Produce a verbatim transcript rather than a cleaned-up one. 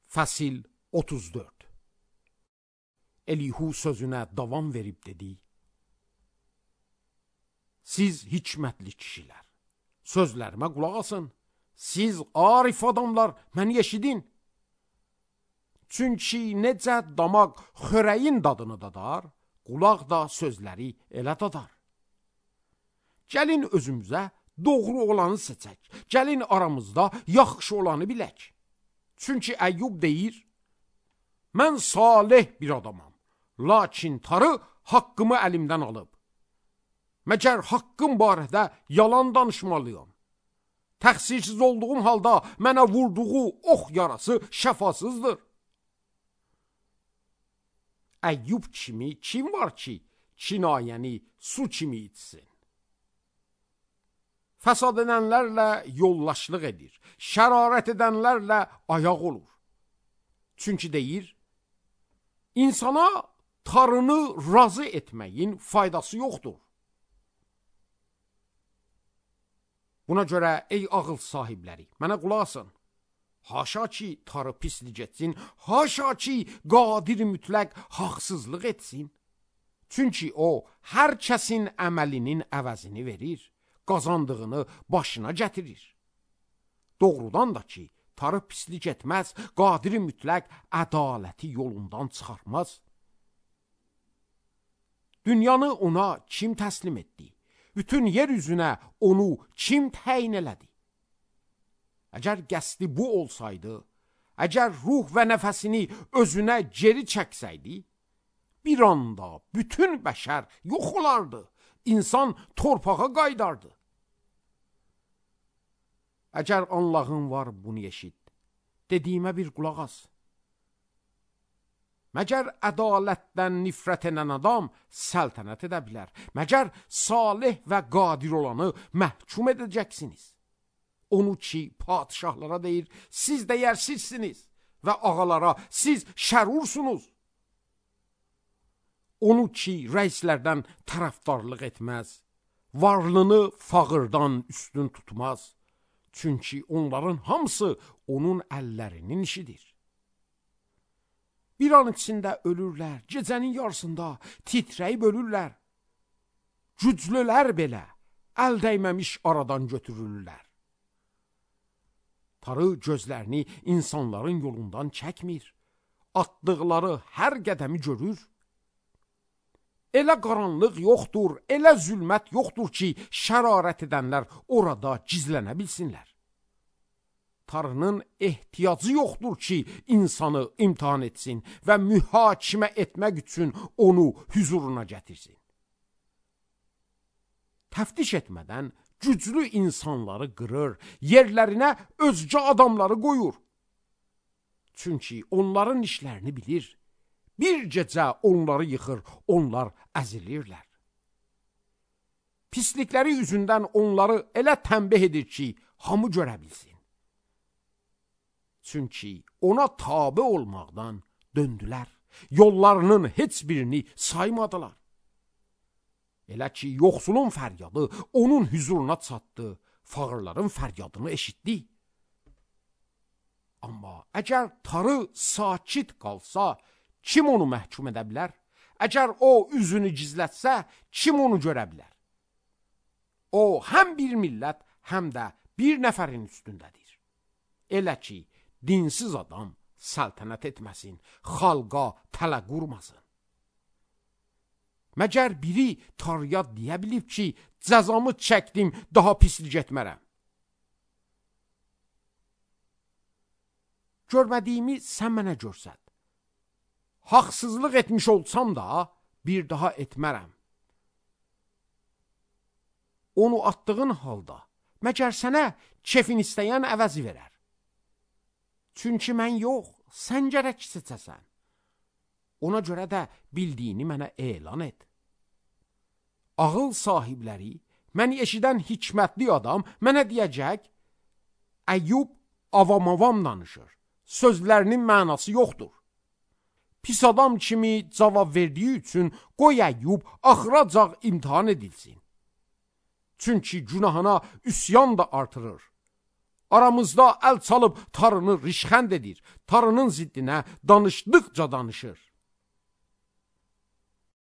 Fəsil otuz dörd. Elihu sözünə davam verib dedi: Siz hikmətli kişilər, sözlərimə qulaq asın. Siz arif adamlar, məni eşidin. Çünki necə damaq xörəyin dadını dadar, qulaq da sözləri elə dadar. Gəlin özümüzə doğru olanı seçək. Gəlin aramızda yaxşı olanı bilək. Çünki Əyyub deyir: Mən salih bir adamam, lakin tarı haqqımı əlimdən alıb. Məgər haqqım barədə yalan danışmalıyam. Təqsirsiz olduğum halda mənə vurduğu ox yarası şəfasızdır. Əyyub kimi kim var ki, kinayəni su kimi içsin? Fəsad edənlərlə yollaşlıq edir, şərarət edənlərlə ayaq olur. Çünki deyir, insana tarını razı etməyin faydası yoxdur. Buna görə ey ağıl sahibləri, mənə qulaq asın. Haşa ki tarı pislik etsin, haşa ki qadir mütləq haqsızlıq etsin. Çünki o, hər kəsin əməlinin əvəzini verir, qazandığını başına gətirir. Doğrudan da ki, tarı pislik etməz, qadiri mütləq ədaləti yolundan çıxarmaz. Dünyanı ona kim təslim etdi? Bütün yer üzünə onu kim təyin elədi? Əgər qəsdi bu olsaydı, əgər ruh və nəfəsini özünə geri çəksəydi, bir anda bütün bəşər yox olardı, insan torpağa qaydardı. Əgər Allahın var, bunu eşit, dediyimə bir qulaq as. Məgər ədalətdən nifrət edən adam səltənət edə bilər? Məgər salih və qadir olanı məhkum edəcəksiniz? Onu ki, padişahlara deyir, siz dəyərsizsiniz və ağalara siz şərursunuz. Onu ki, rəislərdən tərəfdarlıq etməz, varlını fağırdan üstün tutmaz. Çünki onların hamısı onun əllərinin işidir. Bir an içində ölürlər, gecənin yarısında titrəyib ölürlər. Güclülər belə əl dəyməmiş aradan götürürlər. Tarı gözlərini insanların yolundan çəkmir, atdıqları hər qədəmi görür. Elə qaranlıq yoxdur, elə zülmət yoxdur ki, şərarət edənlər orada gizlənə bilsinlər. Tarının ehtiyacı yoxdur ki, insanı imtihan etsin və mühakimə etmək üçün onu hüzuruna gətirsin. Təftiş etmədən güclü insanları qırır, yerlərinə özgə adamları qoyur. Çünki onların işlərini bilir. Bir gecə onları yıxır, onlar əzilirlər. Pislikləri üzündən onları elə tənbih edir ki, hamı görə bilsin. Çünki ona tabe olmaqdan döndülər, yollarının heç birini saymadılar. Elə ki, yoxsulun fəryadı onun hüzuruna çatdı, fağırların fəryadını eşitdi. Amma əgər tarı sakit qalsa, kim onu məhkum edə bilər? Əgər o üzünü gizlətsə, kim onu görə bilər? O, həm bir millət, həm də bir nəfərin üstündədir. Elə ki, dinsiz adam səltənət etməsin, xalqa tələ qurmasın. Məgər biri tarıya deyə bilib ki, cəzamı çəkdim, daha pislik etmərəm. Görmədiyimi sən mənə görsət. Haqsızlıq etmiş olsam da, bir daha etmərəm. Onu atdığın halda, məgər sənə kefin istəyən əvəzi verər. Çünki mən yox, sən gərək seçəsən. Ona görə də bildiyini mənə elan et. Ağıl sahibləri, məni eşidən hikmətli adam mənə deyəcək, Əyyub avam-avam danışır, sözlərinin mənası yoxdur. Pis adam kimi cavab verdiyi üçün qoy Əyyub axıracaq imtihan edilsin. Çünki günahına üsyan da artırır. Aramızda əl çalıb tarını rişxənd edir. Tarının ziddinə danışdıqca danışır.